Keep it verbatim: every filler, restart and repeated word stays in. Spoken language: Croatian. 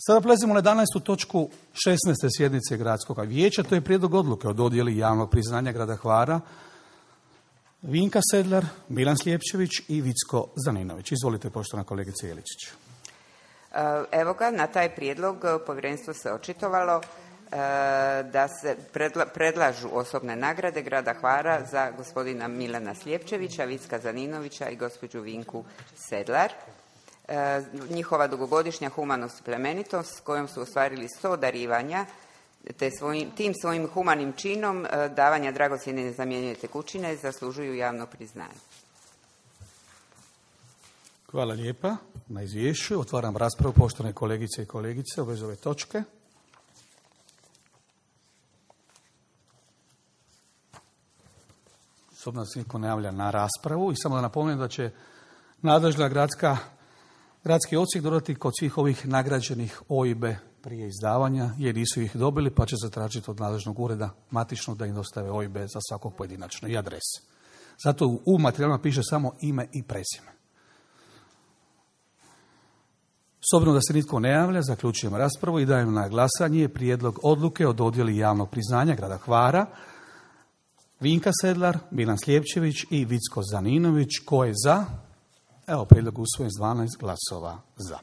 Sada prelazimo na jedanaestu točku šesnaeste sjednice Gradskog vijeća. To je prijedlog odluke o dodjeli javnog priznanja grada Hvara Vinka Sedlar, Milan Slijepčević i Vicko Zaninović. Izvolite, poštovana kolegice Jeličić. Evo ga, na taj prijedlog povjerenstvo se očitovalo da se predla, predlažu osobne nagrade grada Hvara za gospodina Milana Slijepčevića, Vicka Zaninovića i gospođu Vinku Sedlar. Njihova dugogodišnja humanost i plemenitost s kojom su ostvarili sto darivanja, te svojim, tim svojim humanim činom davanja dragocjene nezamjenjive tekućine zaslužuju javno priznanje. Hvala lijepa na izvješću. Otvaram raspravu, poštovane kolegice i kolegice, u vezi ove točke. S obzirom da se niko ne javlja na raspravu i samo da napomenem da će nadležna gradska, gradski odsjek dodati kod svih ovih nagrađenih O I B-e prije izdavanja, jer nisu ih dobili, pa će zatražiti od nadležnog ureda matičnog da im dostave O I B za svakog pojedinačno i adrese. Zato u materijalima piše samo ime i prezime. S obzirom da se nitko ne javlja, zaključujem raspravu i dajem na glasanje prijedlog odluke o dodjeli javnog priznanja grada Hvara Vinka Sedlar, Milan Slijepčević i Vicko Zaninović. Ko je za? Evo, prijedlog usvojen s dvanaest glasova za.